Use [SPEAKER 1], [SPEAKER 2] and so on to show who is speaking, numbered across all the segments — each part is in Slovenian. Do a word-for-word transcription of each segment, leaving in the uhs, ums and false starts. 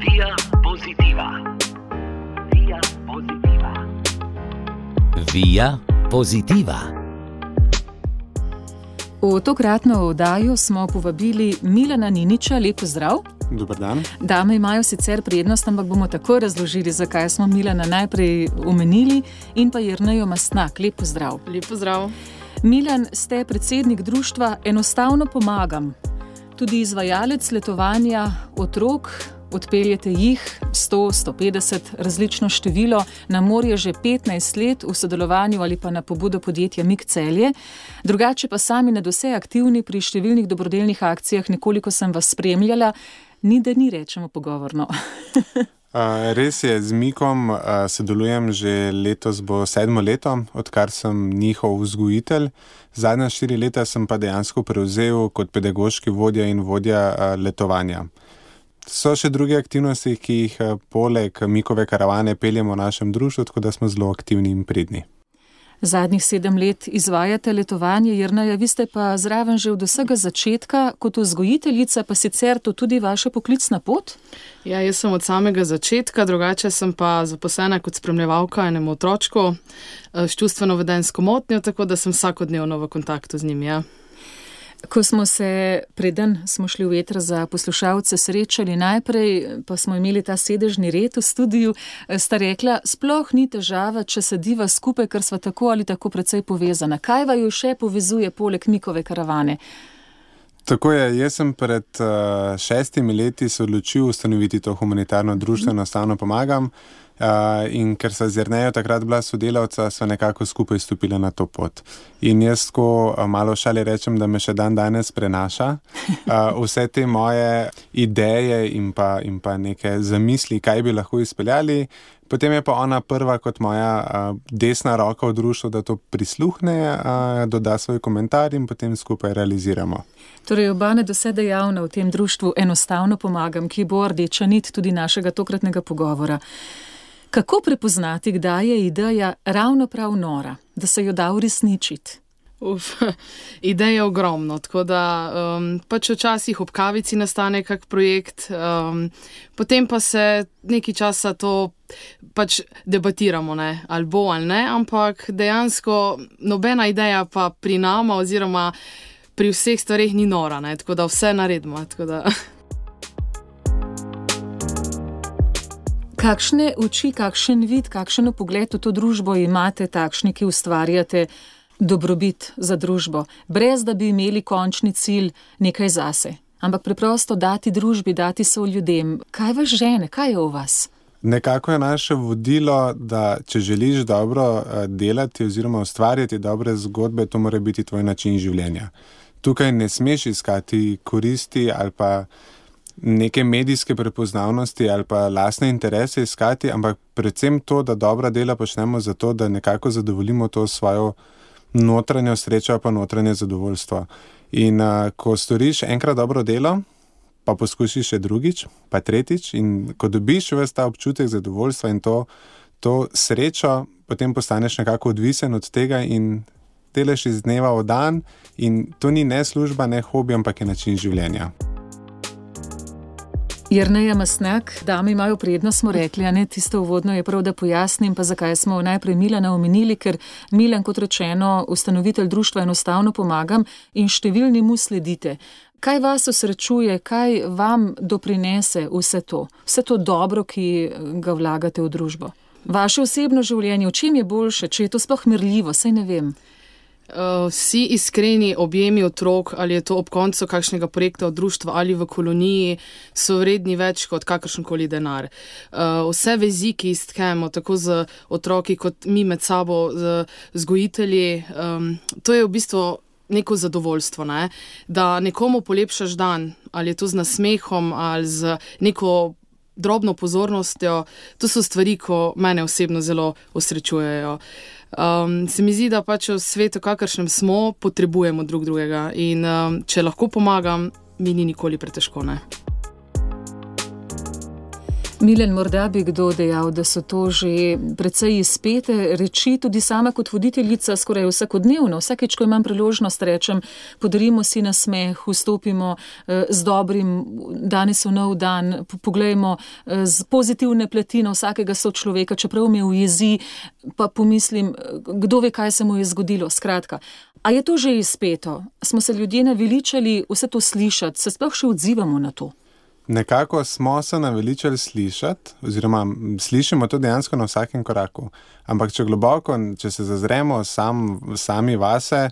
[SPEAKER 1] Via Positiva. Via Positiva.
[SPEAKER 2] Via Positiva.
[SPEAKER 3] V tokratno oddajo smo povabili Milana Niniča. Lep pozdrav.
[SPEAKER 4] Dober dan.
[SPEAKER 3] Dame imajo sicer prednost, ampak bomo takoj razložili, zakaj smo Milana najprej omenili, in pa Jernejo Mastnak. Lep pozdrav.
[SPEAKER 5] Lep pozdrav.
[SPEAKER 3] Milan, ste predsednik društva Enostavno pomagam. Tudi izvajalec letovanja otrok, odpeljete jih sto, sto petdeset, različno število, na morje že petnajst let v sodelovanju ali pa na pobudo podjetja Mik Celje. Drugače pa sami nadvse aktivni pri številnih dobrodelnih akcijah, nekoliko sem vas spremljala, ni da ni, rečemo pogovorno.
[SPEAKER 4] Uh, res je, z Mikom uh, sodelujem že letos bo sedmo leto, odkar sem njihov vzgojitelj. Zadnja štiri leta sem pa dejansko prevzel kot pedagoški vodja in vodja uh, letovanja. So še druge aktivnosti, ki jih uh, poleg Mikove karavane peljemo v našem društvu, tako da smo zelo aktivni in pridni.
[SPEAKER 3] Zadnjih sedem let izvajate letovanje, Jerneja, vi ste pa zraven že od vsega začetka, kot vzgojiteljica, pa sicer to tudi vaša poklicna pot?
[SPEAKER 5] Ja, jaz sem od samega začetka, drugače sem pa zaposlena kot spremljevalka enemu otročku s čustveno-vedenjsko motnjo, tako da sem vsakodnevno v kontaktu z njim, ja.
[SPEAKER 3] Ko smo se, preden smo šli v eter za poslušalce, srečali najprej, pa smo imeli ta sedežni red v studiu, sta rekla, sploh ni težava, če sediva skupaj, ker sva tako ali tako precej povezana. Kaj vaju še povezuje poleg Mikove karavane?
[SPEAKER 4] Tako je, jaz sem pred uh, šestimi leti se odločil ustanoviti to humanitarno društvo, Enostavno pomagam. Uh, in ker sva z Jernejo takrat bila sodelavca, sva nekako skupaj stopila na to pot. In jaz tako uh, malo šali rečem, da me še dan danes prenaša. Uh, vse te moje ideje in pa, in pa neke zamisli, kaj bi lahko izpeljali. Potem je pa ona prva kot moja uh, desna roka v društvu, da to prisluhne, uh, doda svoj komentar in potem skupaj realiziramo.
[SPEAKER 3] Torej, oba nadvse dejavna v tem društvu Enostavno pomagam, ki bo rdeča nit tudi našega tokratnega pogovora. Kako prepoznati, kdaj je ideja ravno prav nora, da se jo da uresničiti?
[SPEAKER 5] Uf, ideja je ogromno, tako da um, pač včasih ob kavici nastane kak projekt, um, potem pa se nekaj časa to pač debatiramo, ne, ali bo ali ne, ampak dejansko nobena ideja pa pri nama oziroma pri vseh stvareh ni nora, ne, tako da vse naredimo, tako da...
[SPEAKER 3] Kakšne oči, kakšen vid, kakšen pogled v to družbo imate, takšni, ki ustvarjate dobrobit za družbo, brez da bi imeli končni cilj nekaj zase, ampak preprosto dati družbi, dati so ljudem. Kaj vas žene, kaj je v vas?
[SPEAKER 4] Nekako je naše vodilo, da če želiš dobro delati oziroma ustvarjati dobre zgodbe, to mora biti tvoj način življenja. Tukaj ne smeš iskati koristi ali pa neke medijske prepoznavnosti ali pa lastne interese iskati, ampak predvsem to, da dobra dela počnemo zato, da nekako zadovoljimo to svojo notranjo srečo pa notranje zadovoljstvo. In uh, ko storiš enkrat dobro delo, pa poskusiš še drugič, pa tretjič, in ko dobiš ves ta občutek zadovoljstva in to, to srečo, potem postaneš nekako odvisen od tega in delaš iz dneva v dan, in to ni ne služba, ne hobi, ampak je način življenja.
[SPEAKER 3] Jerneja Mastnak, dame imajo prednost, smo rekli, a ne, tisto uvodno je prav, da pojasnim, pa zakaj smo najprej Milana omenili, ker Milan, kot rečeno, ustanovitelj društva Enostavno pomagam in številni mu sledite. Kaj vas osrečuje, kaj vam doprinese vse to, vse to dobro, ki ga vlagate v družbo? Vaše osebno življenje, v čem je boljše, če je to sploh merljivo, saj ne vem.
[SPEAKER 5] Uh, vsi iskreni objemi otrok, ali je to ob koncu kakšnega projekta od društva ali v koloniji, so vredni več kot kakršenkoli denar. Uh, vse vezi, ki istkemo, tako z otroki kot mi med sabo, z vzgojitelji, um, to je v bistvu neko zadovoljstvo, ne? Da nekomu polepšaš dan, ali je to z nasmehom ali z neko drobno pozornostjo, to so stvari, ko mene osebno zelo osrečujejo. Um, se mi zdi, da pač v svetu, kakršnem smo, potrebujemo drug drugega in um, če lahko pomagam, mi ni nikoli pretežko, ne.
[SPEAKER 3] Milan, morda bi kdo dejal, da so to že precej izpete reči, tudi sama kot voditeljica skoraj vsakodnevno. Vsakeč, ko imam priložnost, rečem, podarimo si nasmeh, vstopimo z dobrim, danes v nov dan, poglejmo z pozitivne plati na vsakega sočloveka, čeprav me ujezi, pa pomislim, kdo ve, kaj se mu je zgodilo. Skratka, a je to že izpeto? Smo se ljudje naveličali vse to slišati, se sploh še odzivamo na to?
[SPEAKER 4] Nekako smo se naveličali slišati, oziroma slišimo to dejansko na vsakem koraku. Ampak če globoko, če se zazremo sam, sami vase,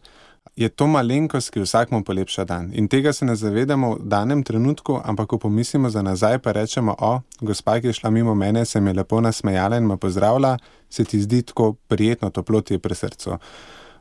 [SPEAKER 4] je to malenkost, ki vsakmu polepša dan. In tega se ne zavedamo v danem trenutku, ampak ko pomislimo za nazaj, pa rečemo, o, gospa, ki je šla mimo mene, se mi je lepo nasmejala in me pozdravila, se ti zdi tako prijetno, toplo ti je pri srcu.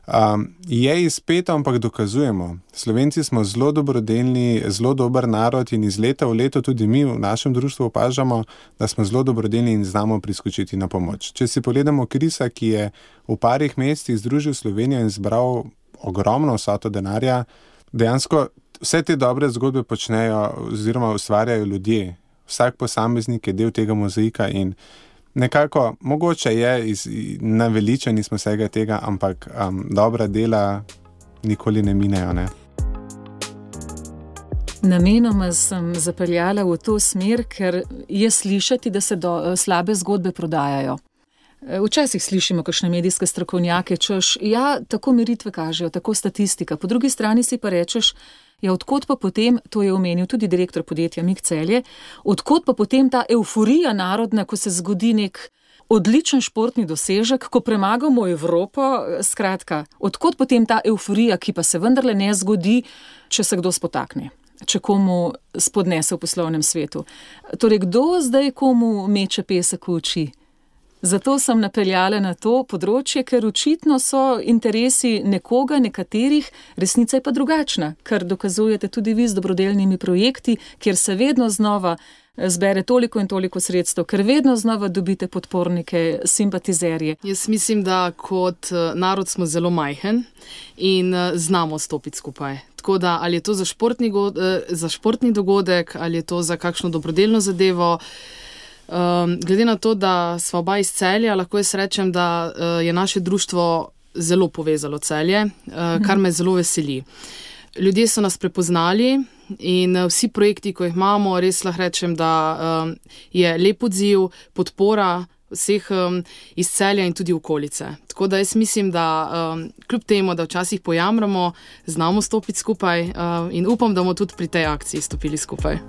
[SPEAKER 4] Um, je izpeto, ampak dokazujemo. Slovenci smo zelo dobrodelni, zelo dober narod in iz leta v leto tudi mi v našem društvu opažamo, da smo zelo dobrodelni in znamo priskočiti na pomoč. Če si pogledamo Krisa, ki je v parih mesecih združil Slovenijo in zbral ogromno vsoto denarja, dejansko vse te dobre zgodbe počnejo oziroma ustvarjajo ljudje. Vsak posameznik je del tega mozaika in nekako, mogoče je, iz, naveličani smo vsega tega, ampak um, dobra dela nikoli ne minejo, ne?
[SPEAKER 3] Namenoma sem zapeljala v to smer, ker je slišati, da se do, slabe zgodbe prodajajo. Včasih slišimo kakšne medijske strokovnjake, češ, ja, tako meritve kažejo, tako statistika. Po drugi strani si pa rečeš, ja, odkot pa potem, to je omenil tudi direktor podjetja Mik Celje, odkot pa potem ta euforija narodna, ko se zgodi nek odličen športni dosežek, ko premagamo Evropo, skratka, odkot potem ta euforija, ki pa se vendarle ne zgodi, če se kdo spotakne, če komu spodnese v poslovnem svetu. Torej, kdo zdaj komu meče pesek v oči? Zato sem napeljala na to področje, ker očitno so interesi nekoga, nekaterih, resnica je pa drugačna, kar dokazujete tudi vi z dobrodelnimi projekti, kjer se vedno znova zbere toliko in toliko sredstev, ker vedno znova dobite podpornike, simpatizerje.
[SPEAKER 5] Jaz mislim, da kot narod smo zelo majhen in znamo stopiti skupaj. Tako da, ali je to za športni, za športni dogodek, ali je to za kakšno dobrodelno zadevo. Um, glede na to, da sva oba iz Celja, lahko jaz rečem, da uh, je naše društvo zelo povezalo Celje, uh, kar me zelo veseli. Ljudje so nas prepoznali in uh, vsi projekti, ko jih imamo, res lahko rečem, da um, je lep odziv, podpora vseh um, iz Celja in tudi okolice. Tako da jaz mislim, da um, kljub temu, da včasih pojamramo, znamo stopiti skupaj uh, in upam, da bomo tudi pri tej akciji stopili skupaj.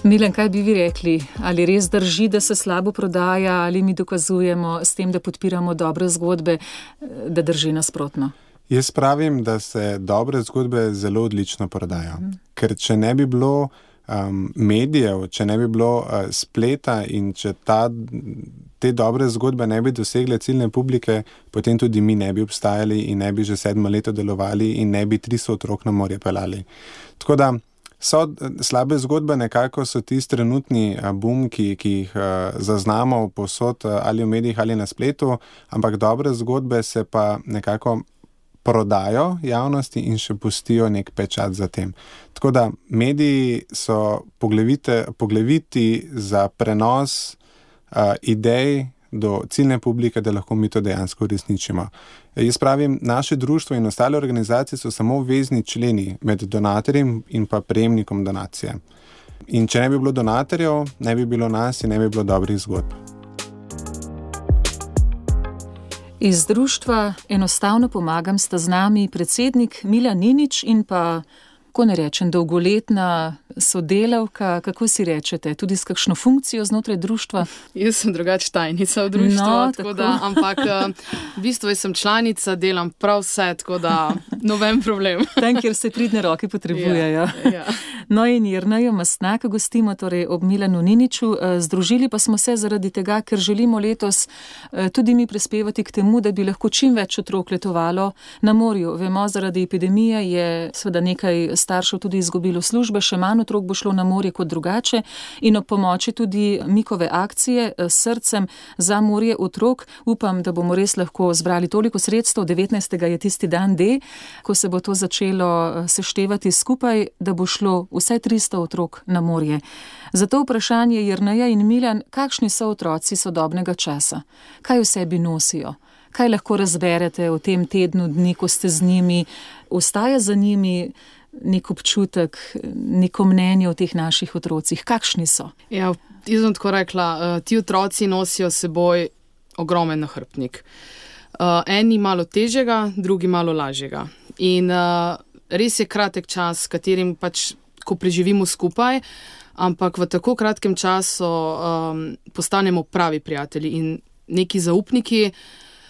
[SPEAKER 3] Milan, kaj bi vi rekli? Ali res drži, da se slabo prodaja, ali mi dokazujemo s tem, da podpiramo dobre zgodbe, da drži nasprotno?
[SPEAKER 4] Jaz pravim, da se dobre zgodbe zelo odlično prodajo. Mm. Ker če ne bi bilo um, medijev, če ne bi bilo uh, spleta in če ta, te dobre zgodbe ne bi dosegle ciljne publike, potem tudi mi ne bi obstajali in ne bi že sedmo leto delovali in ne bi tristo otrok na morje pelali. Tako da so slabe zgodbe nekako so tisti trenutni boom, ki, ki jih uh, zaznamo povsod uh, ali v medijih ali na spletu, ampak dobre zgodbe se pa nekako prodajo javnosti in še pustijo nek pečat za tem. Tako da mediji so pogleviti za prenos uh, idej do ciljne publike, da lahko mi to dejansko uresničimo. Jaz pravim, naše društvo in ostale organizacije so samo vezni členi med donatorjem in pa prejemnikom donacije. In če ne bi bilo donatorjev, ne bi bilo nas in ne bi bilo dobrih zgodb.
[SPEAKER 3] Iz društva Enostavno pomagam sta z nami predsednik Milan Ninič in pa, ko ne rečem, dolgoletna sodelavka, kako si rečete, tudi s kakšno funkcijo znotraj društva?
[SPEAKER 5] Jaz sem drugač tajnica v društvu,
[SPEAKER 3] no,
[SPEAKER 5] tako da, ampak v bistvu sem članica, delam prav vse, tako da noben problem.
[SPEAKER 3] Tam, kjer se pridne roke potrebujejo.
[SPEAKER 5] Ja, ja.
[SPEAKER 3] No in Jernejo Mastnaka gostimo torej ob Milanu Niniču. Združili pa smo se zaradi tega, ker želimo letos tudi mi prispevati k temu, da bi lahko čim več otrok letovalo na morju. Vemo, zaradi epidemije je seveda nekaj staršev tudi izgubilo službe, še manj otrok bo šlo na morje kot drugače in ob pomoči tudi Mikove akcije s srcem za morje otrok. Upam, da bomo res lahko zbrali toliko sredstev, devetnajstega je tisti dan D, ko se bo to začelo seštevati skupaj, da bo šlo vsaj tristo otrok na morje. Zato vprašanje Jerneja in Miljan, kakšni so otroci sodobnega časa? Kaj v sebi nosijo? Kaj lahko razberete v tem tednu dni, ko ste z njimi? Ostaja za njimi nek občutek, neko mnenje o teh naših otrocih? Kakšni so?
[SPEAKER 5] Ja, jaz bom tako rekla, ti otroci nosijo seboj ogromen nahrbtnik. Eni malo težjega, drugi malo lažjega. In res je kratek čas, s katerim pač, ko preživimo skupaj, ampak v tako kratkem času um, postanemo pravi prijatelji in neki zaupniki,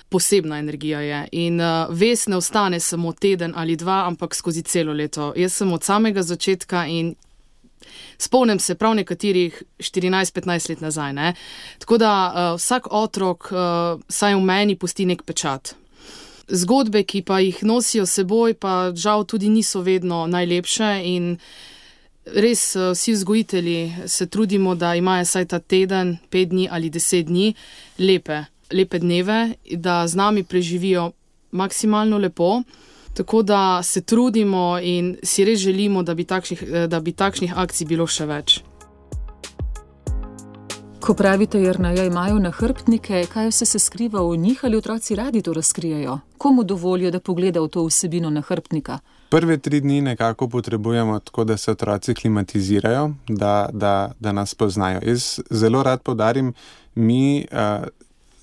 [SPEAKER 5] posebna energija je. In uh, vest ne ostane samo teden ali dva, ampak skozi celo leto. Jaz sem od samega začetka in spomnim se prav nekaterih štirinajst petnajst let nazaj. Ne? Tako da uh, vsak otrok uh, saj v meni pusti nek pečat. Zgodbe, ki pa jih nosijo seboj, pa žal tudi niso vedno najlepše in res vsi vzgojitelji se trudimo, da imajo saj ta teden, pet dni ali deset dni lepe, lepe dneve, da z nami preživijo maksimalno lepo. Tako da se trudimo in si res želimo, da bi takšnih, da bi takšnih akcij bilo še več.
[SPEAKER 3] Ko pravite, Jerneja, imajo nahrbtnike, kaj vse se skriva v njih, ali otroci radi to razkrijajo? Komu dovolijo, da pogleda v to vsebino nahrbtnika?
[SPEAKER 4] Prve tri dni nekako potrebujemo tako, da se otroci klimatizirajo, da, da, da nas poznajo. Jaz zelo rad poudarim, mi uh,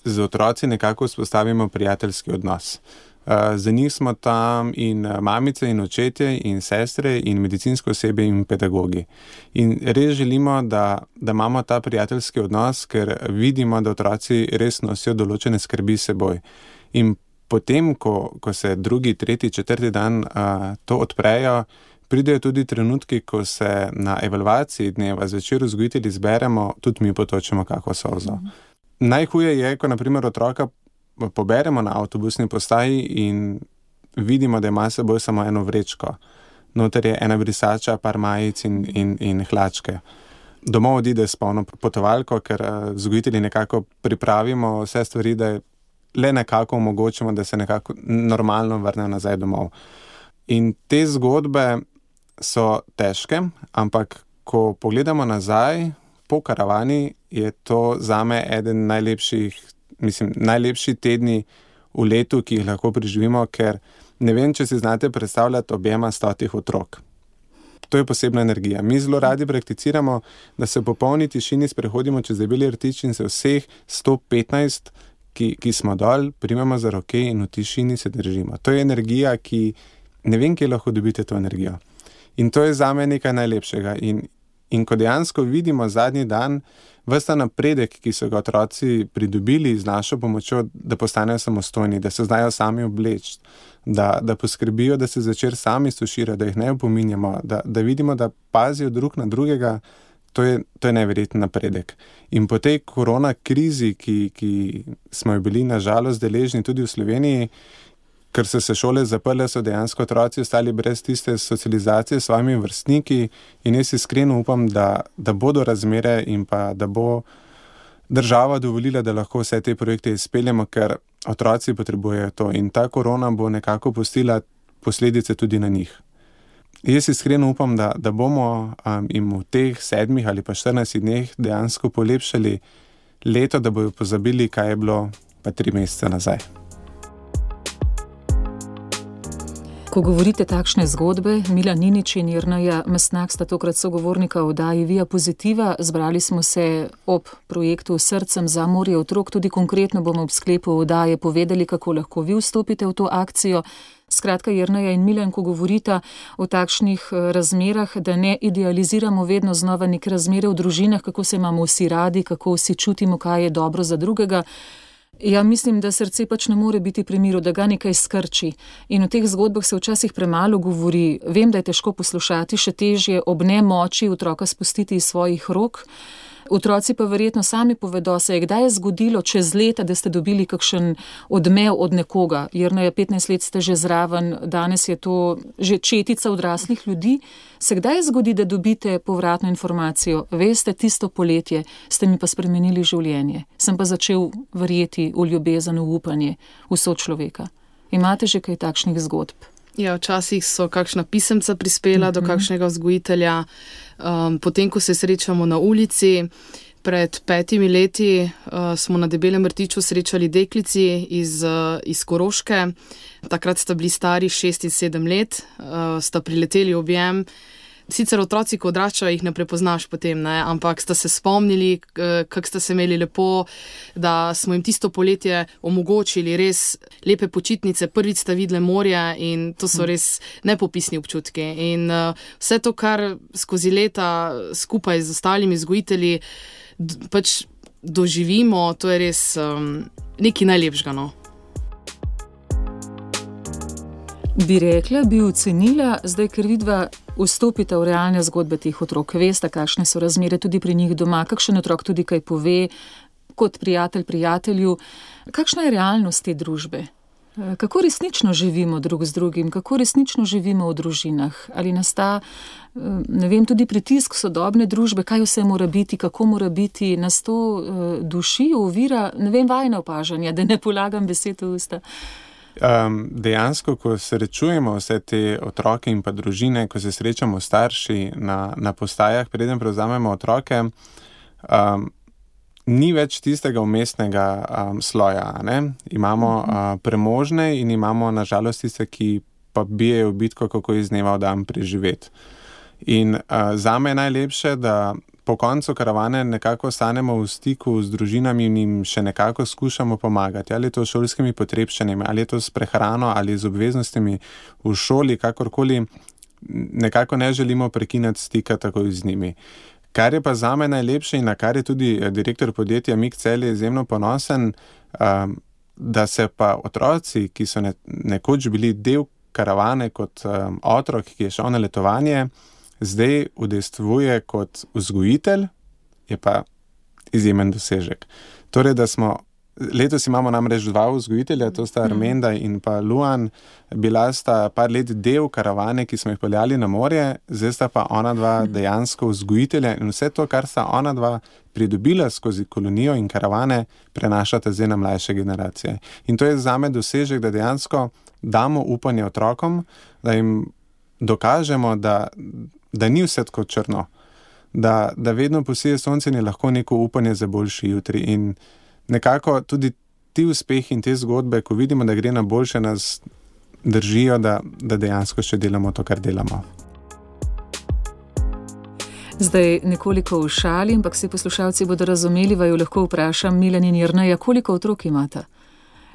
[SPEAKER 4] z otroci nekako vzpostavimo prijateljski odnos. Uh, za njih smo tam in mamice in očetje in sestre in medicinsko osebje in pedagogi. In res želimo, da, da imamo ta prijateljski odnos, ker vidimo, da otroci res nosijo določene skrbi s seboj. In potem, ko, ko se drugi, tretji, četrti dan uh, to odprejo, pridejo tudi trenutki, ko se na evalvaciji dneva zvečer vzgojitelji zberemo, tudi mi potočemo kako solzo. Mm. Najhuje je, ko naprimer otroka poberemo na avtobusni postaji in vidimo, da ima s seboj samo eno vrečko. Noter je ena brisača, par majic in, in, in hlačke. Domov odide s polno potovalko, ker vzgojitelji nekako pripravimo vse stvari, da je le nekako omogočimo, da se nekako normalno vrne nazaj domov. In te zgodbe so težke, ampak ko pogledamo nazaj, po karavani je to zame eden najlepših, mislim, najlepši tedni v letu, ki jih lahko preživimo, ker ne vem, če si znate predstavljati objema stotih otrok. To je posebna energija. Mi zelo radi prakticiramo, da se v popolni tišini sprehodimo čez Debeli rtič in se vseh sto petnajst Ki, ki smo dol, primemo za roke in v tišini se držimo. To je energija, ki ne vem, kje lahko dobite to energijo. In to je zame nekaj najlepšega. In, in ko dejansko vidimo zadnji dan ves ta napredek, ki so ga otroci pridobili z našo pomočjo, da postanejo samostojni, da se znajo sami obleči, da, da poskrbijo, da se zvečer sami stuširajo, da jih ne opominjamo, da, da vidimo, da pazijo drug na drugega, To je, to je neverjeten napredek. In po tej korona krizi, ki, ki smo jo bili nažalost deležni tudi v Sloveniji, ker so se šole zaprle, so dejansko otroci ostali brez tiste socializacije s svojimi vrstniki in jaz iskreno upam, da, da bodo razmere in pa da bo država dovolila, da lahko vse te projekte izpeljemo, ker otroci potrebujejo to in ta korona bo nekako pustila posledice tudi na njih. Jaz iskreno upam, da, da bomo um, jim v teh sedmih ali pa štirinajstih dneh dejansko polepšali leto, da bojo pozabili, kaj je bilo pa tri mesece nazaj.
[SPEAKER 3] Ko govorite takšne zgodbe, Milan Ninič in Jerneja Mastnak sta tokrat sogovornika v oddaji Via Pozitiva. Zbrali smo se ob projektu Srcem za morje otrok, tudi konkretno bomo ob sklepu oddaje povedali, kako lahko vi vstopite v to akcijo. Skratka, Jerneja in Milan, ko govorita o takšnih razmerah, da ne idealiziramo vedno znova neke razmere v družinah, kako se imamo vsi radi, kako vsi čutimo, kaj je dobro za drugega. Ja, mislim, da srce pač ne more biti pri miru, da ga nekaj skrči. In o teh zgodbah se včasih premalo govori. Vem, da je težko poslušati, še težje ob nemoči otroka spustiti iz svojih rok. Otroci pa verjetno sami povedo, se je kdaj zgodilo čez leta, da ste dobili kakšen odmev od nekoga. Jerneja, petnajst let ste že zraven, danes je to že četica odraslih ljudi. Se kdaj zgodi, da dobite povratno informacijo? Veste, tisto poletje ste mi pa spremenili življenje. Sem pa začel verjeti v ljubezen, v upanje, v sočloveka. Imate že kaj takšnih zgodb?
[SPEAKER 5] Ja, včasih so kakšna pisemca prispela uh-huh. do kakšnega vzgojitelja. Um, potem, ko se srečamo na ulici, pred petimi leti uh, smo na Debelem rtiču srečali deklici iz, uh, iz Koroške. Takrat sta bili stari šest in sedem let, uh, sta prileteli v objem. Sicer otroci, ko odraščajo, jih ne prepoznaš potem, ne? Ampak sta se spomnili, kako sta se imeli lepo, da smo jim tisto poletje omogočili res lepe počitnice, prvič sta videli morje in to so res nepopisni občutki. In uh, vse to, kar skozi leta skupaj z ostalimi vzgojitelji d- pač doživimo, to je res um, nekaj najlepšega, no.
[SPEAKER 3] Bi rekla, bi ocenila, zdaj, ker vidva vstopite v realne zgodbe teh otrok, veste, kakšne so razmere tudi pri njih doma, kakšen otrok tudi kaj pove, kot prijatelj prijatelju. Kakšna je realnost te družbe? Kako resnično živimo drug z drugim, kako resnično živimo v družinah? Ali nas ta, ne vem, tudi pritisk sodobne družbe, kaj vse mora biti, kako mora biti, nas to duši, ovira, ne vem, vajna opažanja, da ne polagam besed v usta.
[SPEAKER 4] Um, dejansko, ko srečujemo vse te otroke in pa družine, ko se srečamo starši na, na postajah, preden prevzamemo otroke, um, ni več tistega umestnega um, sloja. Ne? Imamo uh, premožne in imamo nažalost tiste, ki pa bijejo bitko, kako iz dneva v dan preživeti. In uh, zame je najlepše, da po koncu karavane nekako ostanemo v stiku z družinami in jim še nekako skušamo pomagati. Ali je to s šolskimi potrebščinami, ali je to s prehrano, ali z obveznostimi v šoli, kakorkoli, nekako ne želimo prekinati stika takoj z njimi. Kar je pa zame najlepše in na kar je tudi direktor podjetja Mik Celje izjemno ponosen, um, da se pa otroci, ki so ne, nekoč bili del karavane kot um, otrok, ki je šel na letovanje, zdaj udejstvuje kot vzgojitelj, je pa izjemen dosežek. Torej, da smo, letos imamo namreč dva vzgojitelja, to sta Armenda in pa Luan, bila sta par let del karavane, ki smo jih peljali na morje, zdaj sta pa ona dva dejansko vzgojitelja in vse to, kar sta ona dva pridobila skozi kolonijo in karavane, prenašata zdaj na mlajše generacije. In to je zame dosežek, da dejansko damo upanje otrokom, da jim dokažemo, da da ni vse tako črno, da, da vedno posije sonce in je lahko neko upanje za boljši jutri. In nekako tudi ti uspehi in te zgodbe, ko vidimo, da gre na boljše, nas držijo, da, da dejansko še delamo to, kar delamo.
[SPEAKER 3] Zdaj nekoliko v šali, ampak se poslušalci bodo razumeli, vaju lahko vprašam, Milan in Jerneja, koliko otrok imata?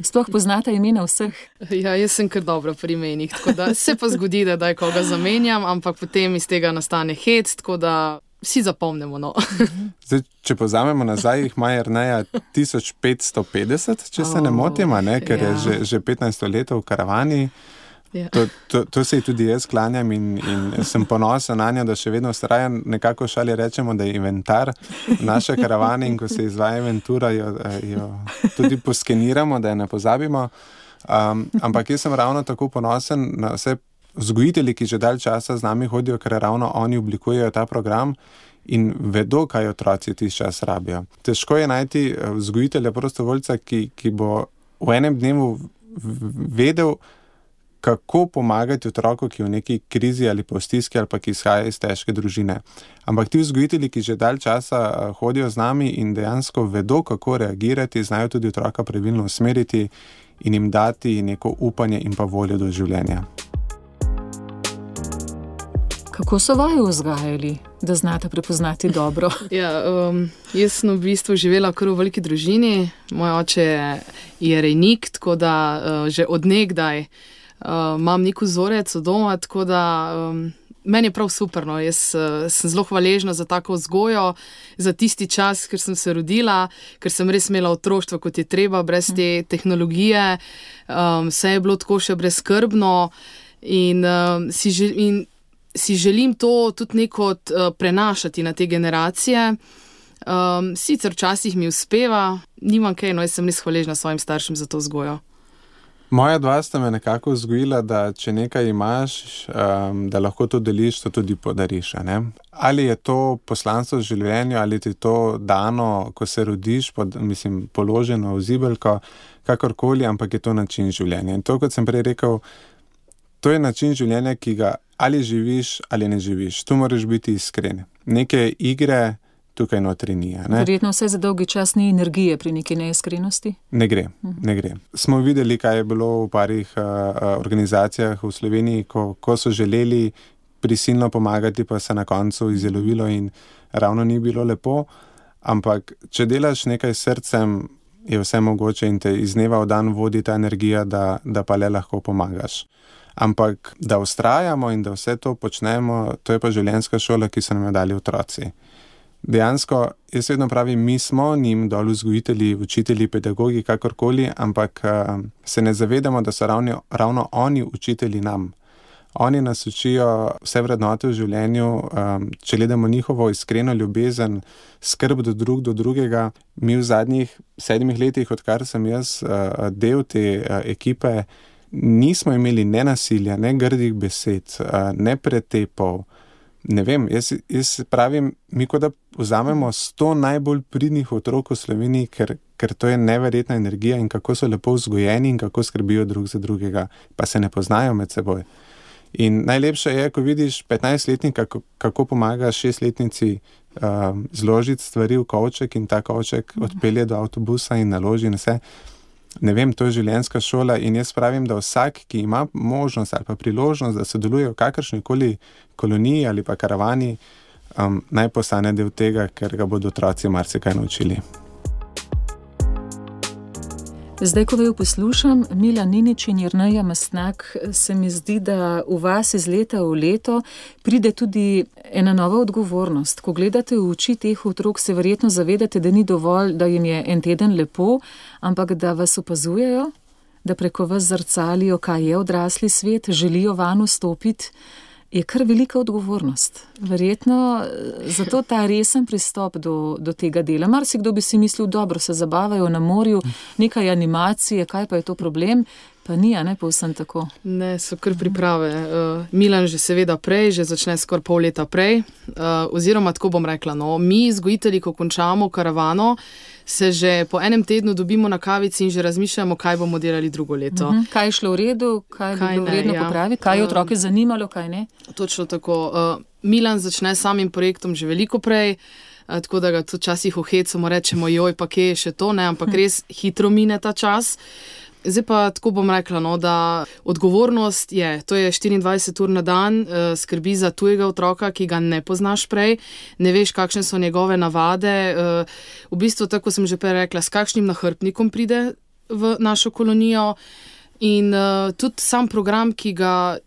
[SPEAKER 3] Sploh poznate imena vseh?
[SPEAKER 5] Ja, jaz sem kar dobro pri imenih, tako da se pa zgodi, da daj koga zamenjam, ampak potem iz tega nastane hec, tako da vsi zapomnimo, no.
[SPEAKER 4] Zdaj, če pozamemo nazaj, jih ima Jerneja tisoč petsto petdeset, če se ne motim, ne, ker ja. je že, že petnajsto leto v karavani. Ja. To, to, to se ji tudi jaz klanjam in, in sem ponosen na njo, da še vedno vztraja. Nekako šali rečemo, da je inventar naše karavane in ko se izvaja inventura, jo, jo tudi poskeniramo, da je ne pozabimo. Um, ampak jaz sem ravno tako ponosen na vse vzgojitelji, ki že dalj časa z nami hodijo, ker ravno oni oblikujejo ta program in vedo, kaj otroci tisti čas rabijo. Težko je najti vzgojitelja, prostovoljca, ki, ki bo v enem dnevu vedel, kako pomagati otroku, ki je v neki krizi ali pa v stiski ali pa ki izhaja iz težke družine. Ampak ti vzgojitelji, ki že dalj časa hodijo z nami in dejansko vedo, kako reagirati, znajo tudi otroka pravilno usmeriti in jim dati neko upanje in pa voljo do življenja.
[SPEAKER 3] Kako so vaju vzgajali, da znate prepoznati dobro?
[SPEAKER 5] Ja, um, jaz sem v bistvu živela kar v veliki družini. Moj oče je rejnik, tako da uh, že od nekdaj uh, imam nek vzorec od doma, tako da um, meni je prav super. No. Jaz uh, sem zelo hvaležna za tako vzgojo, za tisti čas, ker sem se rodila, ker sem res imela otroštvo, kot je treba, brez te tehnologije. Um, vse je bilo tako še brezskrbno in um, si želim... si želim to tudi neko uh, prenašati na te generacije. Um, sicer včasih mi uspeva, nimam kaj, no jaz sem res hvaležna svojim staršem za to vzgojo.
[SPEAKER 4] Moja dva sta me nekako vzgojila, da če nekaj imaš, um, da lahko to deliš, to tudi podariš. A ne? Ali je to poslanstvo v življenju, ali ti to dano, ko se rodiš, pod, mislim, položeno v zibelko, kakorkoli, ampak je to način življenja. In to, kot sem prej rekel, to je način življenja, ki ga ali živiš, ali ne živiš. Tu moraš biti iskren. Neke igre tukaj notri ni.
[SPEAKER 3] Verjetno vse za dolgi čas ni energije pri neki neiskrenosti?
[SPEAKER 4] Ne gre, ne gre. Smo videli, kaj je bilo v parih uh, organizacijah v Sloveniji, ko, ko so želeli prisilno pomagati, pa se na koncu izjelovilo in ravno ni bilo lepo. Ampak, če delaš nekaj s srcem, je vse mogoče in te iz dneva v dan vodi ta energija, da, da pa le lahko pomagaš. Ampak, da vztrajamo in da vse to počnemo, to je pa življenjska šola, ki so nam jo dali otroci. Dejansko, jaz vedno pravim, mi smo njim dol vzgojitelji, učitelji, pedagogi, kakorkoli, ampak uh, se ne zavedamo, da so ravno, ravno oni učitelji nam. Oni nas učijo vse vrednote v življenju, um, če gledamo njihovo iskreno ljubezen, skrb do drug, do drugega. Mi v zadnjih sedmih letih, odkar sem jaz uh, del te uh, ekipe, nismo imeli ne nasilja, ne grdih besed, uh, ne pretepov. Ne vem, jaz, jaz pravim, mi kot da vzamemo sto najbolj pridnih otrok v Sloveniji, ker, ker to je neverjetna energija in kako so lepo vzgojeni in kako skrbijo drug za drugega, pa se ne poznajo med seboj. In najlepše je, ko vidiš petnajstletnika, kako, kako pomaga šestletnici um, zložiti stvari v kovček in ta kovček odpelje do avtobusa in naloži in vse. Ne vem, to je življenjska šola in jaz pravim, da vsak, ki ima možnost ali pa priložnost, da sodeluje v kakršnikoli koloniji ali pa karavani, um, naj postane del tega, ker ga bodo otroci marsikaj naučili.
[SPEAKER 3] Zdaj, ko vaju poslušam, Milan Ninič in Jerneja Mastnak, se mi zdi, da v vas iz leta v leto pride tudi ena nova odgovornost. Ko gledate v oči teh otrok, se verjetno zavedate, da ni dovolj, da jim je en teden lepo, ampak da vas opazujejo, da preko vas zrcalijo, kaj je odrasli svet, želijo van vstopiti. Je kar velika odgovornost. Verjetno zato ta resen pristop do, do tega dela. Marsikdo bi si mislil, dobro, se zabavajo na morju, nekaj animacije, kaj pa je to problem, pa ni, a ne povsem tako.
[SPEAKER 5] Ne, so kar priprave. Uh, Milan že seveda prej, že začne skoraj pol leta prej, uh, oziroma tako bom rekla, no, mi vzgojitelji, ko končamo karavano, se že po enem tednu dobimo na kavici in že razmišljamo, kaj bomo delali drugo leto. Uh-huh.
[SPEAKER 3] Kaj je šlo v redu, kaj, kaj bi bilo vredno ja. popraviti, kaj je otroke zanimalo, kaj ne?
[SPEAKER 5] Točno tako. Uh, Milan začne samim projektom že veliko prej, uh, tako da ga tudi časih ohecamo, rečemo, joj, pa kje je še to, ne, ampak res hitro mine ta čas. Zdaj pa tako bom rekla, no, da odgovornost je, to je štiriindvajset ur na dan, eh, skrbi za tujega otroka, ki ga ne poznaš prej, ne veš, kakšne so njegove navade. Eh, v bistvu, tako sem že prej rekla, s kakšnim nahrbtnikom pride v našo kolonijo in eh, tudi sam program, ki ga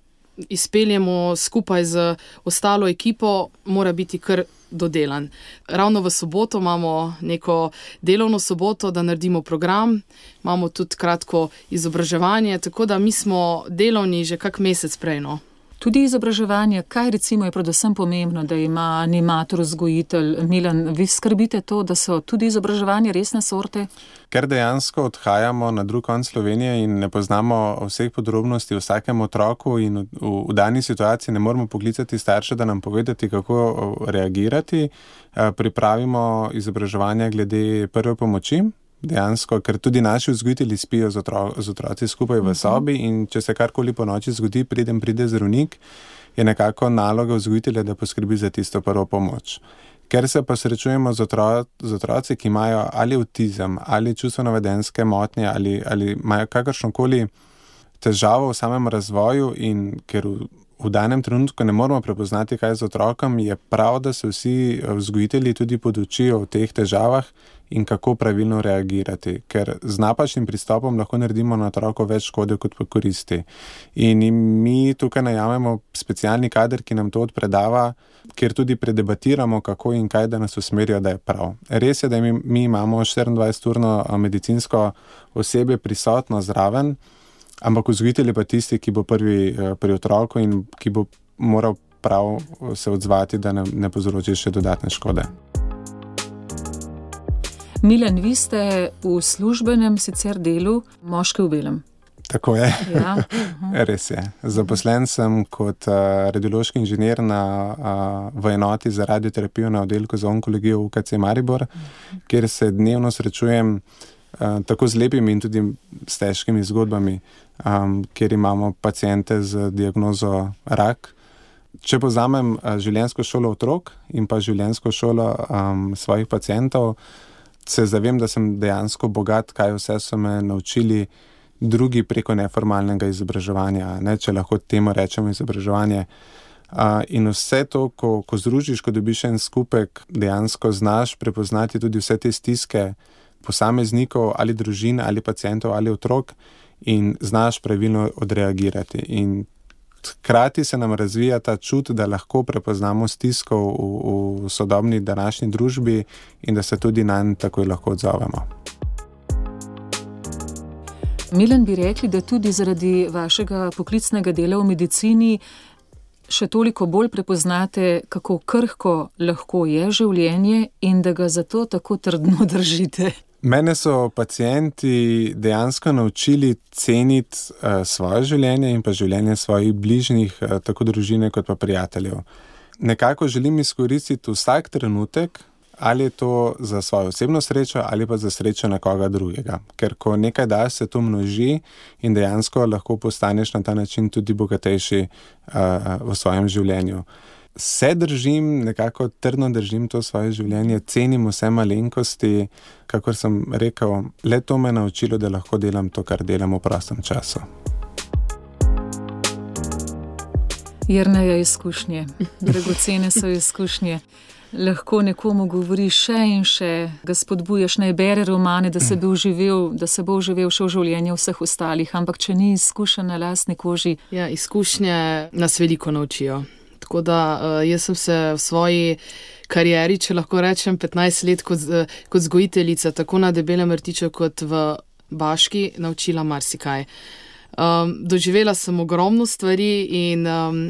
[SPEAKER 5] izpeljemo skupaj z ostalo ekipo, mora biti kar dodelan. Ravno v soboto imamo neko delovno soboto, da naredimo program, imamo tudi kratko izobraževanje, tako da mi smo delovni že kak mesec prej, no.
[SPEAKER 3] Tudi izobraževanje, kaj recimo je predvsem pomembno, da ima animator, vzgojitelj. Milan, vi skrbite to, da so tudi izobraževanje resne sorte?
[SPEAKER 4] Ker dejansko odhajamo na drug konec Slovenije in ne poznamo vseh podrobnosti o vsakem otroku in v, v, v dani situaciji ne moramo poklicati starše, da nam povedati, kako reagirati, pripravimo izobraževanje glede prve pomoči. Dejansko, ker tudi naši vzgojitelji spijo z, otro, z otroci skupaj v sobi in če se karkoli po noči zgodi, preden pride zdravnik, je nekako naloga vzgojitelja, da poskrbi za tisto prvo pomoč. Ker se pa srečujemo z, otro, z otroci, ki imajo ali avtizem, ali čustveno-vedenjske motnje, ali, ali imajo kakršnokoli težavo v samem razvoju in ker v, v danem trenutku ne moramo prepoznati, kaj z otrokom, je prav, da se vsi vzgojitelji tudi podučijo o teh težavah in kako pravilno reagirati, ker z napačnim pristopom lahko naredimo na otroko več škode kot pa koristi. In mi tukaj najamemo specialni kader, ki nam to odpredava, kjer tudi predebatiramo, kako in kaj, da nas usmerijo, da je prav. Res je, da mi, mi imamo štiriindvajseturno medicinsko osebje prisotno zraven, ampak vzgojitelj je pa tisti, ki bo prvi pri otroku in ki bo moral prav se odzvati, da ne, ne povzroči še dodatne škode.
[SPEAKER 3] Milan, vi ste v službenem sicer delu moški v belem.
[SPEAKER 4] Tako je,
[SPEAKER 3] Ja.
[SPEAKER 4] res je. Zaposlen sem kot uh, radiološki inženir na, uh, v enoti za radioterapijo na oddelku za onkologijo v U K C Maribor, kjer se dnevno srečujem uh, tako z lepimi in tudi s težkimi zgodbami, um, kjer imamo paciente z diagnozo rak. Če povzamem uh, življenjsko šolo otrok in pa življenjsko šolo um, svojih pacientov, se zavem, da sem dejansko bogat, kaj vse so me naučili drugi preko neformalnega izobraževanja, ne, če lahko temu rečemo izobraževanje. Uh, in vse to, ko, ko združiš, ko dobiš en skupek, dejansko znaš prepoznati tudi vse te stiske posameznikov ali družin ali pacientov ali otrok in znaš pravilno odreagirati. In hkrati se nam razvija ta čut, da lahko prepoznamo stisko v, v sodobni današnji družbi in da se tudi nanj takoj lahko odzovemo.
[SPEAKER 3] Milan, bi rekli, da tudi zaradi vašega poklicnega dela v medicini še toliko bolj prepoznate, kako krhko lahko je življenje in da ga zato tako trdno držite.
[SPEAKER 4] Mene so pacienti dejansko naučili ceniti uh, svoje življenje in pa življenje svojih bližnjih, uh, tako družine kot pa prijateljev. Nekako želim izkoristiti vsak trenutek, ali je to za svojo osebno srečo ali pa za srečo nekoga drugega. Ker ko nekaj daš, se to množi in dejansko lahko postaneš na ta način tudi bogatejši uh, v svojem življenju. Se držim, nekako trdno držim to svoje življenje, cenim vse malenkosti, kakor sem rekel, le to me je naučilo, da lahko delam to, kar delam v prostem času.
[SPEAKER 3] Jerneja izkušnje, dragocene so izkušnje. Lahko nekomu govoriš še in še, ga spodbujaš, naj bere romane, da se bo uživel, da se bo uživel še v življenju vseh ostalih, ampak če ni izkušen na lastni koži.
[SPEAKER 5] Ja, izkušnje nas veliko naučijo. Tako da uh, jaz sem se v svoji karieri, če lahko rečem, petnajst let kot, uh, kot vzgojiteljica, tako na Debelem rtiču kot v Baški, naučila marsikaj. Um, doživela sem ogromno stvari in um,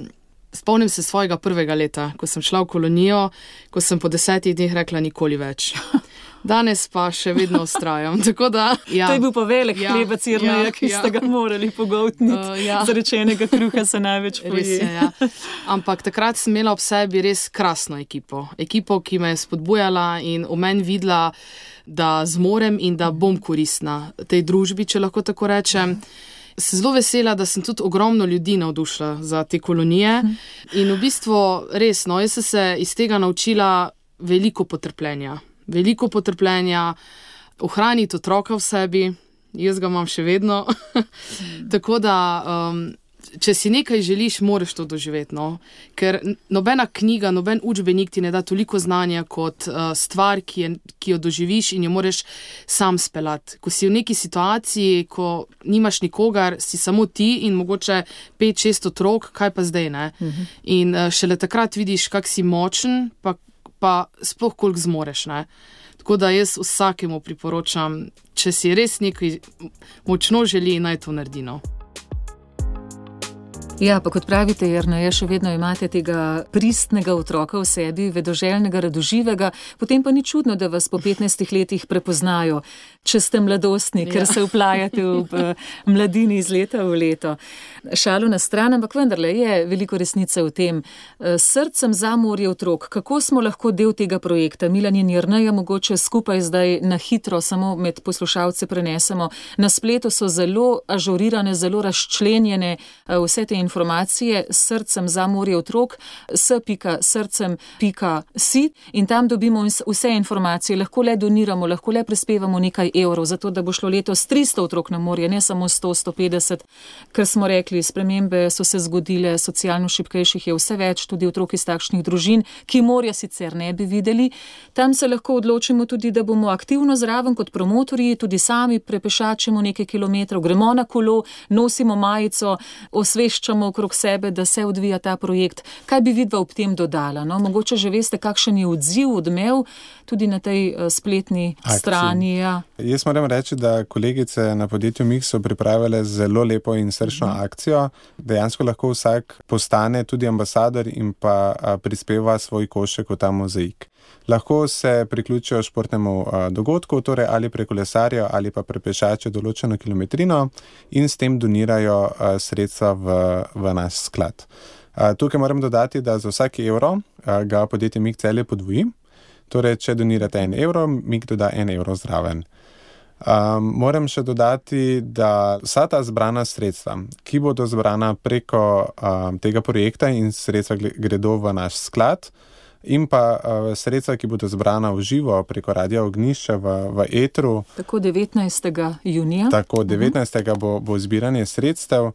[SPEAKER 5] spomnim se svojega prvega leta, ko sem šla v kolonijo, ko sem po desetih dneh rekla nikoli več. Danes pa še vedno vztrajam. Tako da, ja.
[SPEAKER 3] To je bil pa velik
[SPEAKER 5] Ja,
[SPEAKER 3] hlebec Jerneja,
[SPEAKER 5] ja,
[SPEAKER 3] ki
[SPEAKER 5] ja.
[SPEAKER 3] ste ga morali pogoltniti.
[SPEAKER 5] Uh, ja.
[SPEAKER 3] Zarečenega kruha se največ
[SPEAKER 5] Res
[SPEAKER 3] poje.
[SPEAKER 5] je, ja. Ampak takrat sem imela ob sebi res krasno ekipo. Ekipo, ki me je spodbujala in v meni videla, da zmorem in da bom koristna tej družbi, če lahko tako rečem. Se zelo vesela, da sem tudi ogromno ljudi navdušila za te kolonije in v bistvu res, no, jaz sem se iz tega naučila veliko potrpljenja. Veliko potrpljenja, ohraniti otroka v sebi, jaz ga imam še vedno. Tako da, um, če si nekaj želiš, moraš to doživeti, no. Ker nobena knjiga, noben učbenik ti ne da toliko znanja kot uh, stvar, ki, je, ki jo doživiš in jo moraš sam speljati. Ko si v neki situaciji, ko nimaš nikogar, si samo ti in mogoče pet, šest otrok, kaj pa zdaj, ne? Uh-huh. In uh, šele takrat vidiš, kak si močen, pa pa sploh koliko zmoreš, ne. Tako da jaz vsakemu priporočam, če si res nekaj močno želi, naj to naredi, no.
[SPEAKER 3] Ja, pa kot pravite, Jerneja, še vedno imate tega pristnega otroka v sebi, vedoželjnega, radoživega, potem pa ni čudno, da vas po petnajstih letih prepoznajo, če ste mladostni, ker
[SPEAKER 5] Ja.
[SPEAKER 3] se vplajate v mladini iz leta v leto. Šalo na stran, ampak vendarle je veliko resnice v tem. S srcem za morje otrok, kako smo lahko del tega projekta? Milan in Jerneja mogoče skupaj zdaj na hitro, samo med poslušalce prenesemo. Na spletu so zelo ažurirane, zelo razčlenjene vse te informacije s srcem za morje otrok, s pika srcem pika si in tam dobimo vse informacije. Lahko le doniramo, lahko le prispevamo nekaj evrov, zato da bo šlo letos tristo otrok na morje, ne samo sto, sto petdeset, ker smo rekli, spremembe so se zgodile, socialno šibkejših je vse več, tudi otrok iz takšnih družin, ki morja sicer ne bi videli. Tam se lahko odločimo tudi, da bomo aktivno zraven kot promotorji, tudi sami prepešačimo nekaj kilometrov, gremo na kolo, nosimo majico, osveščamo okrog sebe, da se odvija ta projekt. Kaj bi vidva ob tem dodala? No? Mogoče že veste, kakšen je odziv, odmev tudi na tej uh, spletni
[SPEAKER 4] Akciji.
[SPEAKER 3] strani. Ja.
[SPEAKER 4] Jaz moram reči, da kolegice na podjetju Mix so pripravile zelo lepo in srčno mm. akcijo. Dejansko lahko vsak postane tudi ambasador in pa a, prispeva svoj košek v ta mozaik. lahko se priključijo športnemu uh, dogodku, torej ali prekolesarijo ali pa prepešačijo določeno kilometrino in s tem donirajo uh, sredstva v, v naš sklad. Uh, tukaj moram dodati, da za vsak evro uh, ga podjetje Mik Celje podvoji. Torej, če donirate en evro, Mik doda en evro zraven. Um, moram še dodati, da vsa ta zbrana sredstva, ki bodo zbrana preko um, tega projekta in sredstva gredo v naš sklad, in pa uh, sredstva, ki bodo zbrana v živo preko Radia Ognjišče v, v etru.
[SPEAKER 3] Tako devetnajstega junija.
[SPEAKER 4] Tako devetnajstega bo, bo zbiranje sredstev.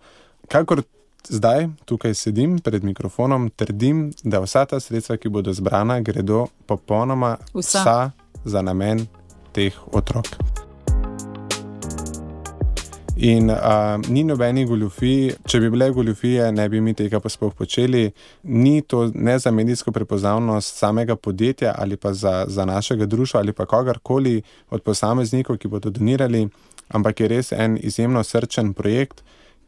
[SPEAKER 4] Kakor zdaj tukaj sedim pred mikrofonom, trdim, da vsa ta sredstva, ki bodo zbrana, gredo popolnoma vsa, vsa za namen teh otrok. In uh, ni nobenih goljufij, če bi bile goljufije, ne bi mi tega pa sploh počeli. Ni to ne za medijsko prepoznavnost samega podjetja ali pa za, za našega društva ali pa kogarkoli od posameznikov, ki bodo donirali, ampak je res en izjemno srčen projekt,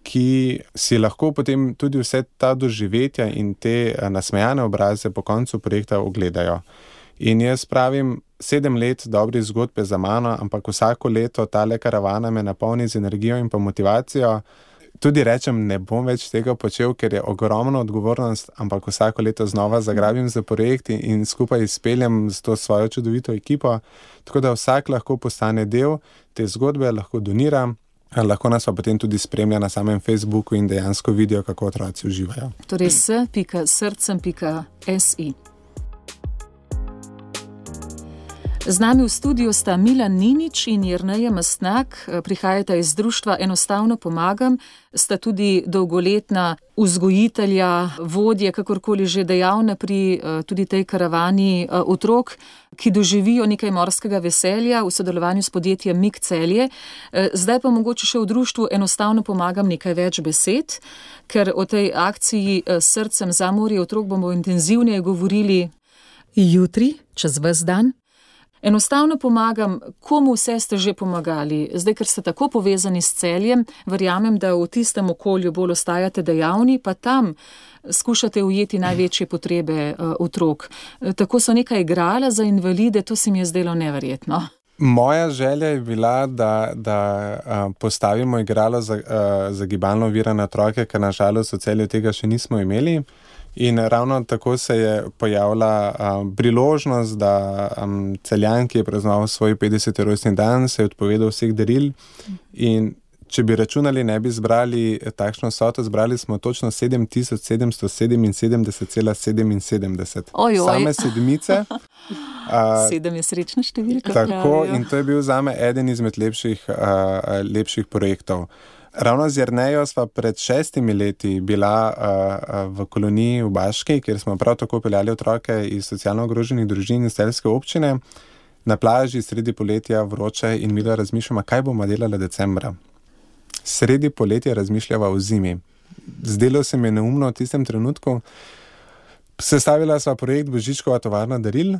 [SPEAKER 4] ki si lahko potem tudi vse ta doživetja in te nasmejane obraze po koncu projekta ogledajo. In jaz pravim, sedem let dobrih zgodbe za mano, ampak vsako leto tale karavana me napolni z energijo in pa motivacijo. Tudi rečem, ne bom več tega počel, ker je ogromna odgovornost, ampak vsako leto znova zagrabim za projekt in skupaj izpeljem z to svojo čudovito ekipo. Tako da vsak lahko postane del te zgodbe, lahko donira, lahko nas pa potem tudi spremlja na samem Facebooku in dejansko vidijo, kako otroci uživajo.
[SPEAKER 3] Torej s pika srcem pika si. Z nami v studiu sta Milan Ninič in Jerneja Mastnak, prihajata iz društva Enostavno pomagam, sta tudi dolgoletna vzgojitelja, vodje, kakorkoli že dejavne pri tudi tej karavani otrok, ki doživijo nekaj morskega veselja v sodelovanju s podjetjem Mik Celje. Zdaj pa mogoče še v društvu Enostavno pomagam nekaj več besed, ker o tej akciji Srcem za morje otrok bomo intenzivneje govorili jutri, čez ves dan. Enostavno pomagam, komu vse ste že pomagali. Zdaj, ker ste tako povezani s Celjem, verjamem, da v tistem okolju bolj ostajate dejavni, pa tam skušate ujeti največje potrebe uh, otrok. Tako so neka igrala za invalide, to se mi je zdelo neverjetno.
[SPEAKER 4] Moja želja je bila, da, da uh, postavimo igralo za, uh, za gibalno ovirane otroke, ker nažalost v Celju tega še nismo imeli. In ravno tako se je pojavila um, priložnost, da um, Celjan, ki je praznoval svoj petdeseti rojstni dan, se je odpovedal vseh daril. In če bi računali, ne bi zbrali takšno vsoto, zbrali smo točno sedem tisoč sedemsto sedeminsedemdeset celih sedeminsedemdeset.
[SPEAKER 3] Oj, oj.
[SPEAKER 4] Same sedmice. Uh,
[SPEAKER 3] Sedem je srečna številka.
[SPEAKER 4] Tako, in to je bil zame eden izmed lepših, uh, lepših projektov. Ravno z Jernejo sva pred šestimi leti bila uh, v koloniji v Baški, kjer smo prav tako peljali otroke iz socialno ogroženih družin iz celjske občine. Na plaži sredi poletja vroče in midva razmišljamo, kaj bomo delali decembra. Sredi poletja razmišljava o zimi. Zdelo se mi je neumno v tistem trenutku. Sestavila sva projekt Božičkova tovarna daril,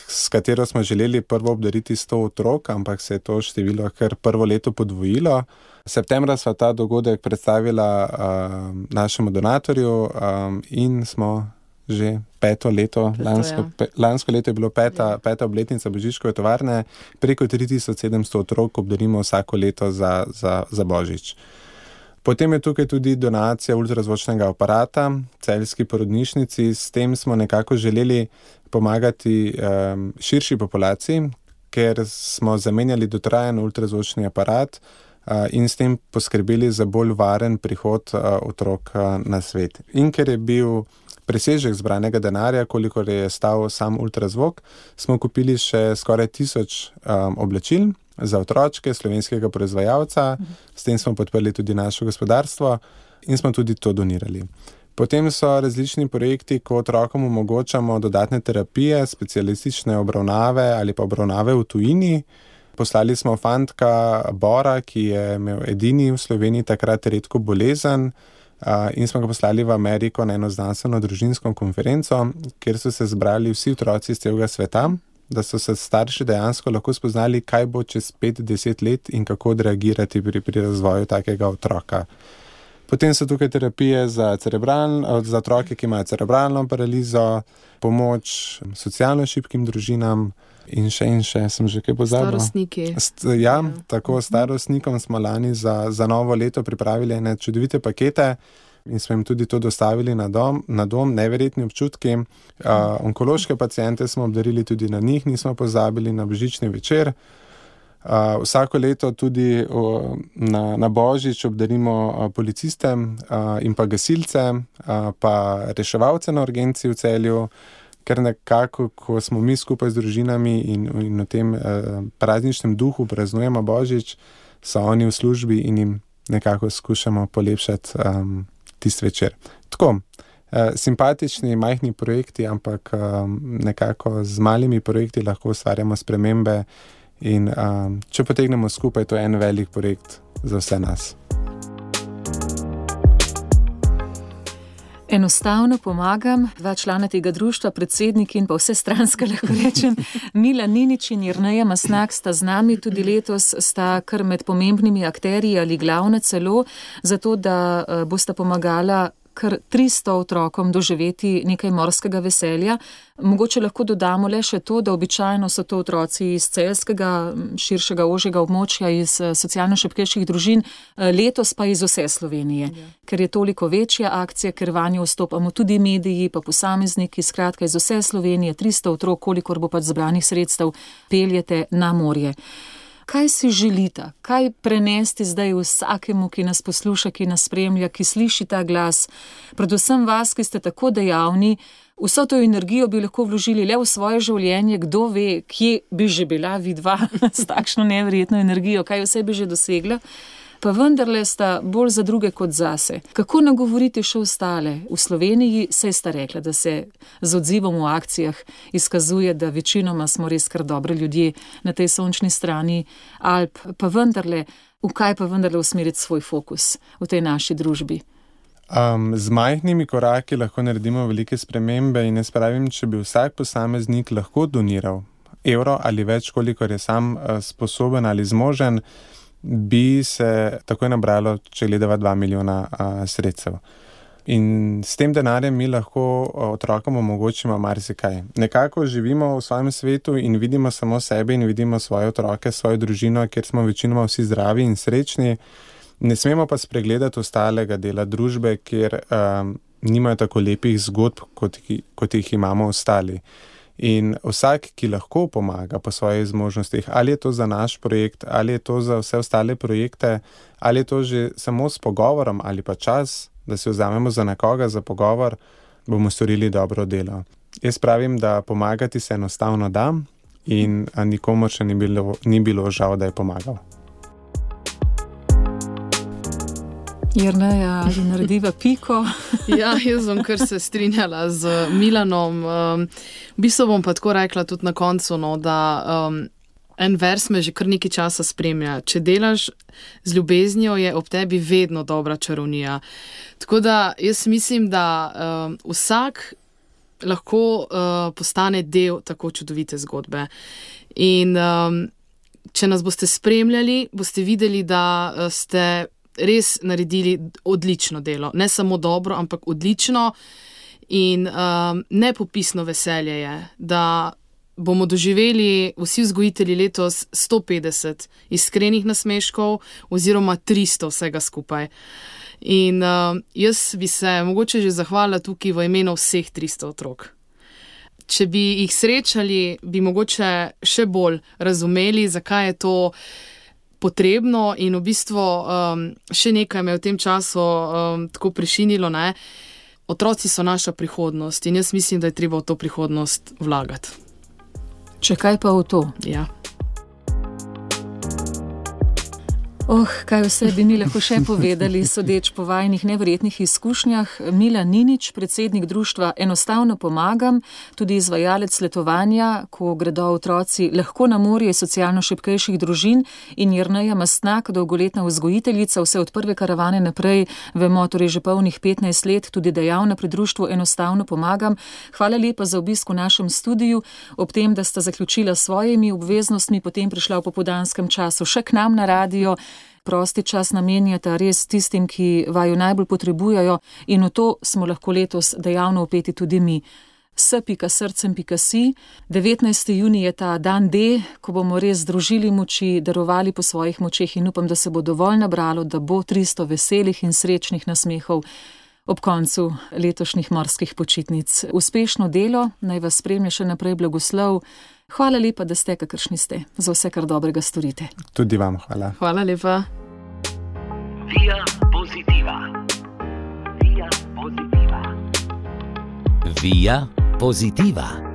[SPEAKER 4] s katero smo želeli prvo obdariti sto otrok, ampak se je to število kar prvo leto podvojilo. Septembra sva ta dogodek predstavila uh, našemu donatorju um, in smo že peto leto, peto, lansko, ja. pe, lansko leto je bilo peta, ja. peta obletnica Božičkove tovarne, preko tri tisoč sedemsto otrok obdarimo vsako leto za, za, za Božič. Potem je tukaj tudi donacija ultrazvočnega aparata celjski porodnišnici. S tem smo nekako želeli pomagati um, širši populaciji, ker smo zamenjali dotrajen ultrazvočni aparat uh, in s tem poskrbeli za bolj varen prihod uh, otrok uh, na svet. In ker je bil presežek zbranega denarja, kolikor je stal sam ultrazvok, smo kupili še skoraj tisoč um, oblačil za otročke slovenskega proizvajalca, s tem smo podprli tudi naše gospodarstvo in smo tudi to donirali. Potem so različni projekti, ko otrokom omogočamo dodatne terapije, specialistične obravnave ali pa obravnave v tujini. Poslali smo fantka Bora, ki je imel edini v Sloveniji takrat redko bolezen, in smo ga poslali v Ameriko na eno znanstveno družinsko konferenco, kjer so se zbrali vsi otroci iz celega sveta, da so se starši dejansko lahko spoznali, kaj bo čez pet do deset let in kako odreagirati pri, pri razvoju takega otroka. Potem so tukaj terapije za, za otroke, ki imajo cerebralno paralizo, pomoč socialno šibkim družinam in še in še, sem že kaj pozabil.
[SPEAKER 5] Starostniki.
[SPEAKER 4] St, ja, ja, tako starostnikom smo lani za, za novo leto pripravili ene čudovite pakete in smo jim tudi to dostavili na dom, na dom neverjetni občutki. Uh, onkološke paciente smo obdarili tudi na njih, nismo pozabili na božični večer. Uh, vsako leto tudi uh, na, na Božič obdarimo uh, policiste uh, in pa gasilce, uh, pa reševalce na urgenci v Celju, ker nekako, ko smo mi skupaj z družinami in, in v tem uh, prazničnem duhu praznujemo Božič, so oni v službi in jim nekako skušamo polepšati um, tisti večer. Tako, uh, simpatični, majhni projekti, ampak um, nekako z malimi projekti lahko ustvarjamo spremembe. In um, če potegnemo skupaj, to je en velik projekt za vse nas.
[SPEAKER 3] Enostavno pomagam, dva člana tega društva, predsednik in pa vse stranska, lahko rečem, Milan Ninič in Jerneja Mastnak sta z nami, tudi letos sta kar med pomembnimi akterji ali glavne celo, zato da uh, bosta pomagala kar tristo otrokom doživeti nekaj morskega veselja. Mogoče lahko dodamo le še to, da običajno so to otroci iz celjskega, širšega, ožjega območja, iz socialno šibkejših družin, letos pa iz vse Slovenije. Ja. Ker je toliko večja akcija, ker vanjo vstopamo tudi mediji, pa posamezniki, skratka iz vse Slovenije, tristo otrok, kolikor bo pač zbranih sredstev, peljete na morje. Kaj si želite, kaj prenesti zdaj vsakemu, ki nas posluša, ki nas spremlja, ki sliši ta glas, predvsem vas, ki ste tako dejavni, vso to energijo bi lahko vložili le v svoje življenje, kdo ve, kje bi že bila vidva s takšno neverjetno energijo, kaj vse bi že dosegla, pa vendarle sta bolj za druge kot zase. Kako nagovoriti še ostale? V Sloveniji saj sta rekla, da se z odzivom v akcijah izkazuje, da večinoma smo res kar dobri ljudje na tej sončni strani Alp, pa vendarle, v kaj pa vendarle usmeriti svoj fokus v tej naši družbi?
[SPEAKER 4] Um, z majhnimi koraki lahko naredimo velike spremembe in jaz pravim, če bi vsak posameznik lahko doniral evro ali več, kolikor je sam uh, sposoben ali zmožen, bi se takoj nabralo, če gledava dva milijona a, sredstev. In s tem denarjem mi lahko otrokom omogočimo marsikaj. Nekako živimo v svojem svetu in vidimo samo sebe in vidimo svoje otroke, svojo družino, kjer smo večinoma vsi zdravi in srečni. Ne smemo pa spregledati ostalega dela družbe, kjer um, nimajo tako lepih zgodb, kot, kot jih imamo ostali. In vsak, ki lahko pomaga po svojih zmožnostih, ali je to za naš projekt, ali je to za vse ostale projekte, ali je to že samo s pogovorom ali pa čas, da se vzamemo za nekoga za pogovor, bomo storili dobro delo. Jaz pravim, da pomagati se enostavno da in nikomor še ni bilo, ni bilo žal, da je pomagal.
[SPEAKER 3] Jerneja, ali narediva piko?
[SPEAKER 5] Ja, jaz bom kar se strinjala z Milanom. Um, v bistvu bom pa tako rekla tudi na koncu, no, da um, en vers me že kar nekaj časa spremlja. Če delaš z ljubeznijo, je ob tebi vedno dobra čarovnija. Tako da jaz mislim, da um, vsak lahko uh, postane del tako čudovite zgodbe. In um, če nas boste spremljali, boste videli, da uh, ste res naredili odlično delo. Ne samo dobro, ampak odlično in um, nepopisno veselje je, da bomo doživeli vsi vzgojitelji letos sto petdeset iskrenih nasmeškov oziroma tristo vsega skupaj. In um, jaz bi se mogoče že zahvalila tukaj v imenu vseh tristo otrok. Če bi jih srečali, bi mogoče še bolj razumeli, zakaj je to potrebno in v bistvu um, še nekaj me v tem času um, tako prešinilo, ne. Otroci so naša prihodnost in jaz mislim, da je treba v to prihodnost vlagati.
[SPEAKER 3] Če kaj pa v to?
[SPEAKER 5] Ja.
[SPEAKER 3] Oh, kaj vse bi mi lahko še povedali, sodeč po vajinih neverjetnih izkušnjah. Milan Ninič, predsednik društva Enostavno pomagam, tudi izvajalec letovanja, ko gredo otroci lahko na morje socialno šibkejših družin, in Jerneja Mastnak, dolgoletna vzgojiteljica, vse od prve karavane naprej, vemo, torej že polnih petnajst let, tudi dejavna pri društvu Enostavno pomagam. Hvala lepa za obisk v našem studiu, ob tem, da sta zaključila svojimi obveznostmi, potem prišla v popoldanskem času še k nam na radio. prosti čas namenjata res tistim, ki vaju najbolj potrebujejo, in v to smo lahko letos dejavno vpeti tudi mi. s pika srcem pika si. devetnajsti junij je ta dan D, ko bomo res združili moči, darovali po svojih močeh in upam, da se bo dovolj nabralo, da bo tristo veselih in srečnih nasmehov ob koncu letošnjih morskih počitnic. Uspešno delo, naj vas spremlja še naprej blagoslov. Hvala lepa, da ste, kakršni ste, za vse, kar dobrega storite.
[SPEAKER 4] Tudi vam hvala.
[SPEAKER 5] Hvala lepa.
[SPEAKER 1] Via Positiva. Via Positiva.
[SPEAKER 2] Via Positiva.